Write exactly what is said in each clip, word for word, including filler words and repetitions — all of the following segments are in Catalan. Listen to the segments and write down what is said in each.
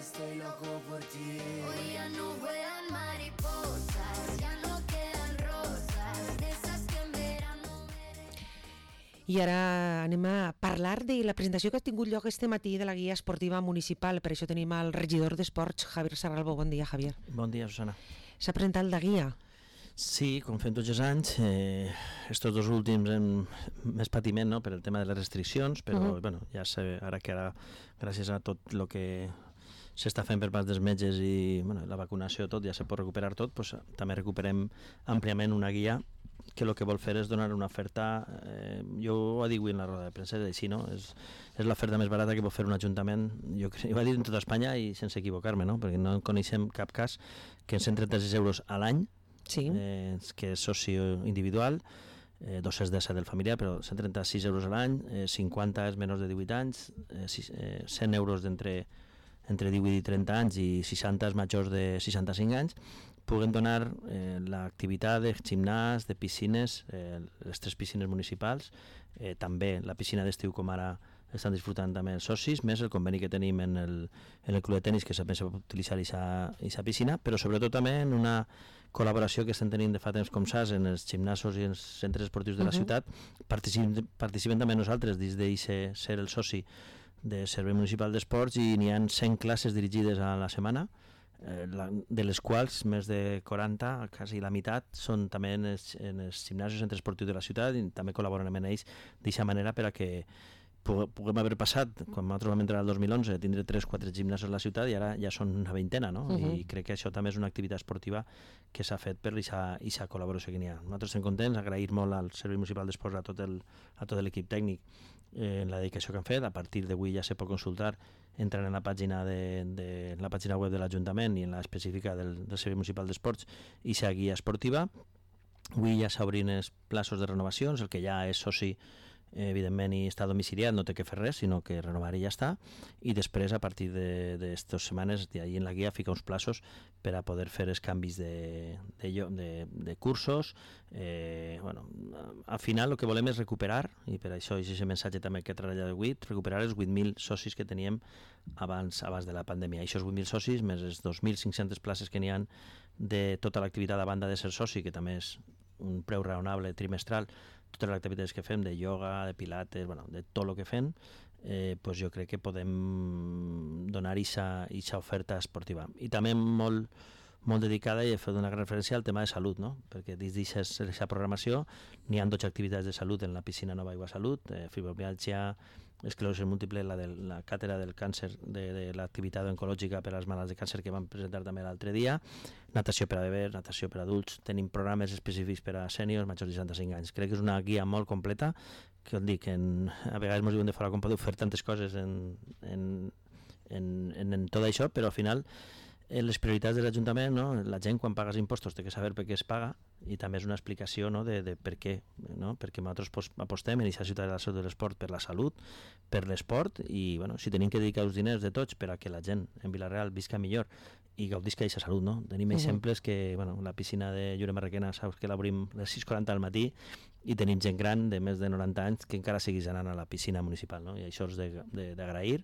estoy loco por ti. Hoy ya no vuelan mariposas, ya no quedan rosas, de esas que en verano me... I ara anem a parlar de la presentació que ha tingut lloc este matí de la guia esportiva municipal. Per això tenim el regidor d'Esports, Javier Sarralbo. Bon dia, Javier. Bon dia, Susana. S'ha presentat la guia? Sí, com fem tots els anys, eh, estos dos últims hem més patiment, no?, per el tema de les restriccions, però uh -huh. bueno, ja sé, ara que ara, gràcies a tot el que s'està fent per part dels metges i bueno, la vacunació, tot, ja se pot recuperar tot, pues, també recuperem àmpliament una guia que el que vol fer és donar una oferta, eh, jo ho dic en la roda de premsa, és així, no? És, és l'oferta més barata que pot fer un ajuntament, jo, jo ho he dit en tota Espanya i sense equivocar-me, no?, perquè no coneixem cap cas que en cent trenta-sis euros a l'any, sí. eh, que és socio individual, eh, dos-cents disset del familiar, però cent trenta-sis euros a l'any, eh, cinquanta és menys de divuit anys, eh, eh, cent euros d'entre entre divuit i trenta anys i seixanta és majors de seixanta-cinc anys, puguen donar eh, l'activitat de gimnàs, de piscines, eh, les tres piscines municipals, eh, també la piscina d'estiu com ara estan disfrutant també els socis, més el conveni que tenim en el, en el club de tenis, que també se pot utilitzar aquesta piscina, però sobretot també en una col·laboració que estem tenint de fa temps, com saps, en els gimnasos i els centres esportius de la uh-huh. ciutat. Participem, participem també nosaltres dins d'eixe ser el soci de Servei Municipal d'Esports i n'hi ha cent classes dirigides a la setmana, eh, la, de les quals més de quaranta, quasi la meitat, són també en els, en els gimnasos i centres esportius de la ciutat i també col·laboren amb ells d'aquesta manera per a que puguem haver passat, quan nosaltres vam entrar el dos mil onze, tindre tres o quatre gimnasos a la ciutat i ara ja són una veintena, no? Uh-huh. I crec que això també és una activitat esportiva que s'ha fet per aquesta col·laboració que n'hi ha. Nosaltres estem contents, agrair molt al Servei Municipal d'Esports, a tot el, a tot l'equip tècnic eh, en la dedicació que han fet. A partir d'avui ja se pot consultar entrant en la pàgina de, de la pàgina web de l'Ajuntament i en la específica del, del Servei Municipal d'Esports i la guia esportiva. Avui ja s'obrin els plaços de renovacions, el que ja és soci evidentment i està domiciliat no té que fer res, sinó que renovar i ja està, i després a partir d'estes setmanes d'ahir en la guia fica uns plaços per a poder fer els canvis de, de, de, de cursos. Eh, bueno, al final el que volem és recuperar, i per això és aquest missatge també que he treballat avui, recuperar els vuit mil socis que teníem abans, abans de la pandèmia. I aquests vuit mil socis, més les dos mil cinc-centes places que n'hi ha de tota l'activitat a banda de ser soci, que també és un preu raonable trimestral, totes les activitats que fem, de ioga, de pilates, bueno, de tot el que fem, eh, pues jo crec que podem donar aquesta oferta esportiva. I també molt, molt dedicada, i he fet una gran referència al tema de salut, no? Perquè dins d'aquesta programació n'hi ha dotze activitats de salut en la piscina Nova Aigua Salut, eh, fibromialgia, esclerosi múltiple, la de la càtedra del càncer, de, de l'activitat oncològica per als malalts de càncer que vam presentar també l'altre dia, natació per a bebès, natació per a adults, tenim programes específics per a sèniors majors de seixanta-cinc anys. Crec que és una guia molt completa, que et dic, en, a vegades ens diuen de fora com podeu fer tantes coses en, en, en, en, en tot això, però al final les prioritats de l'Ajuntament, no? La gent quan paga els impostos té que saber per què es paga, i també és una explicació, no? de, de per què, no? Perquè nosaltres apostem en aquesta ciutat de la salut de l'esport per la salut, per l'esport, i bueno, si tenim que dedicar els diners de tots per a que la gent en Vila-real visca millor i gaudisca d'aquesta salut, no? Tenim uh-huh. exemples que, bueno, la piscina de Llure Marrequena saps que l'obrim a les sis quaranta del matí i tenim gent gran de més de noranta anys que encara seguís anant a la piscina municipal, no? I això és d'agrair,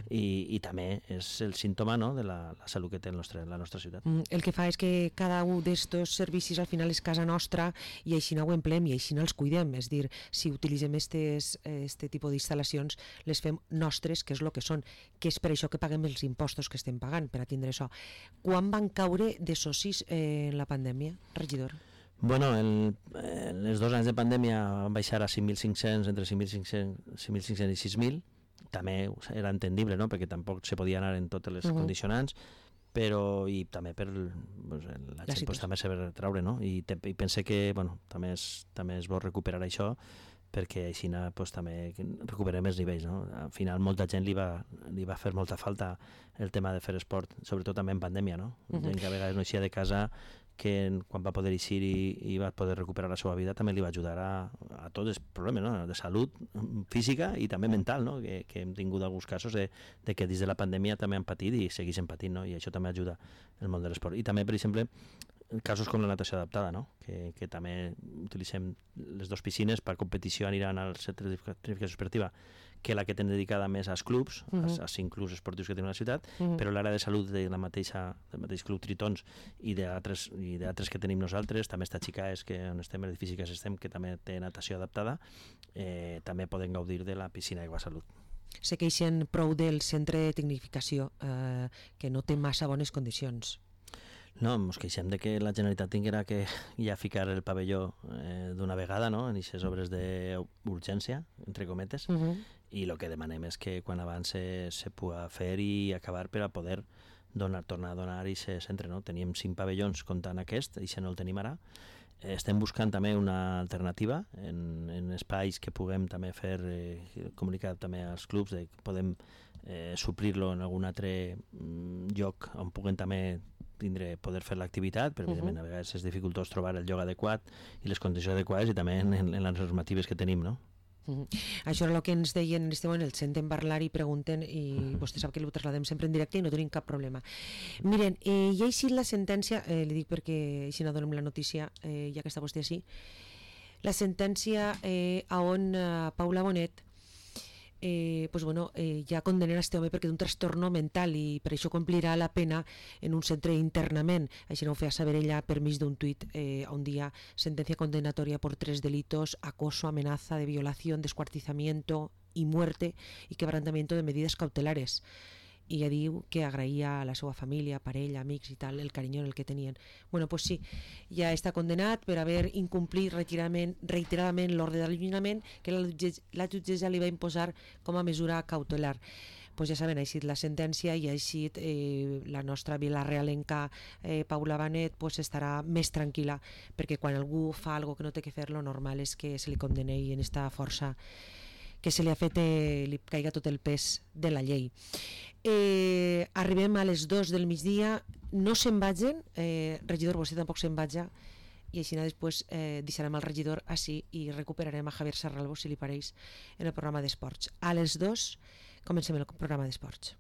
i, i també és el símptoma, no? de la, la salut que té el nostre, la nostra ciutat. Mm, el que fa és que cada un d'estos servicis al final és casa nostra i així no ho emplem i així no els cuidem, és dir, si utilitzem estes, este tipus d'instal·lacions les fem nostres, que és el que són, que és per això que paguem els impostos que estem pagant per a tindre això. Quan van caure de socis eh, en la pandèmia, regidor? Bueno, el, en els dos anys de pandèmia van baixar a cinc mil cinc-cents, entre cinc mil cinc-cents i sis mil, també era entendible, no? Perquè tampoc se podia anar en totes les uh-huh. condicionants, però i també per pues, la gent pues, també s'ha de treure, no? I, te, i pense que bueno, també, és, també és bo recuperar això, perquè així pues, també recuperem els nivells, no? Al final molta gent li va, li va fer molta falta el tema de fer esport, sobretot també en pandèmia, no? Uh-huh. Gent que a vegades no eixia de casa, que quan va poder eixir i, i va poder recuperar la seva vida també li va ajudar a, a tots els problemes, no? De salut física i també mental, no? que, que hem tingut alguns casos de, de que dins de la pandèmia també han patit i segueixen patint, no? I això també ajuda el món de l'esport. I també, per exemple, casos com la natació adaptada, no? que, que també utilitzem les dues piscines per competició aniran al centre de tecnificació esportiva, que la que tenen dedicada més als clubs, uh -huh. als, als cinc clubs esportius que tenim a la ciutat, uh -huh. però l'àrea de salut de la mateixa, del mateix club Tritons i d'altres i d'altres que tenim nosaltres, també està Xicaes, que on estem, l'edifici que estem, que també té natació adaptada, eh, també poden gaudir de la piscina Aigua Salut. Se queixen prou del centre de tecnificació, eh, que no té massa bones condicions. No, ens queixem de que la Generalitat tinguera que ja ficar el pavelló eh, d'una vegada, no?, en aquestes obres d'urgència, entre cometes, uh -huh. i el que demanem és que quan abans se, se pugui fer i acabar per a poder donar, tornar a donar aquest centre, no? Teníem cinc pavellons comptant aquest, i si no el tenim ara. Eh, estem buscant també una alternativa en, en espais que puguem també fer, eh, comunicar també als clubs, de que podem eh, suplir-lo en algun altre mm, lloc on puguem també tindre, poder fer l'activitat, però evidentment uh -huh. a vegades és dificultós trobar el lloc adequat i les condicions adequades i també en, en les normatives que tenim, no? Uh -huh. Això era el que ens deien en este moment, el senten parlar i pregunten, i uh -huh. vostè sap que ho trasladem sempre en directe i no tenim cap problema. Miren, eh, ja ha eixit la sentència, eh, li dic perquè així no donem la notícia, eh, ja que està vostè així, la sentència eh, a on eh, Paula Bonet Eh, pues bueno, eh, ja condenen a este home perquè té un trastorno mental i per això complirà la pena en un centre d'internament. Així no ho feia saber ella per mig d'un tuit eh, un dia: sentencia condenatoria por tres delitos: acoso, amenaza de violación, descuartizamiento y muerte y quebrantamiento de medidas cautelares. I ella diu que agraïa a la seva família, parella, amics i tal, el carinyo en el que tenien. Bueno, pues sí, ja està condenat per haver incomplit reiteradament, reiteradament l'ordre d'allunyament que la, la jutgessa li va imposar com a mesura cautelar. Pues ja saben, ha eixit la sentència i ha eixit eh, la nostra vilarealenca eh, Paula Bonet pues estarà més tranquil·la, perquè quan algú fa algo que no té que fer, lo normal és que se li condeni en esta força que se li ha fet, eh, li caiga tot el pes de la llei. Eh, arribem a les dos del migdia, no se'n vagin, eh, regidor, vostè tampoc se'n vaja, i així després eh, deixarem el regidor així i recuperarem a Javier Sarralbo, si li pareix, en el programa d'esports. A les dos comencem el programa d'esports.